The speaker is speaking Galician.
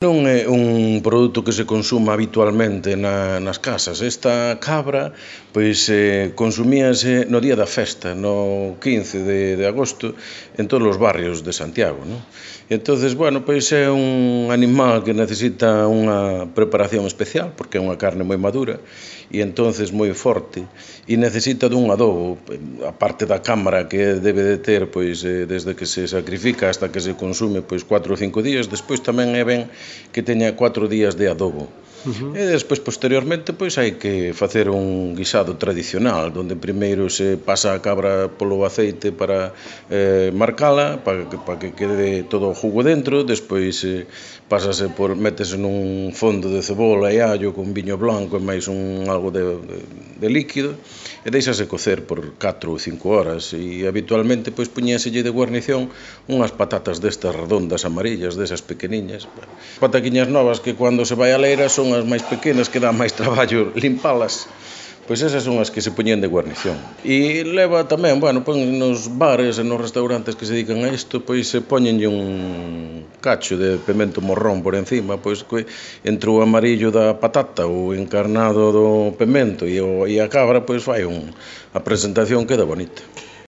Non é un produto que se consuma habitualmente nas casas. Esta cabra consumíase no día da festa, no 15 de agosto, en todos os barrios de Santiago, non? Entonces, é un animal que necesita unha preparación especial, porque é unha carne moi madura e entonces moi forte, e necesita dun adobo, a parte da cámara que debe de ter desde que se sacrifica hasta que se consume 4 ou 5 días. Despois tamén é ben que teña 4 días de adobo. E despois, posteriormente, hai que facer un guisado tradicional, onde primeiro se pasa a cabra polo aceite para marcala, para que quede todo o jugo dentro. Despois métese nun fondo de cebola e allo con viño blanco e máis algo de líquido, e deixase cocer por 4 ou 5 horas, e habitualmente puñéselle de guarnición unhas patatas destas redondas amarillas, desas pequeniñas. Pataquiñas novas que cando se vai a leira son as máis pequenas, que dá máis traballo limpalas. Esas son as que se poñen de guarnición. E leva tamén, nos bares e nos restaurantes que se dedican a isto, se poñenlle un cacho de pemento morrón por encima, entre o amarillo da patata, o encarnado do pemento e a cabra, a presentación queda bonita.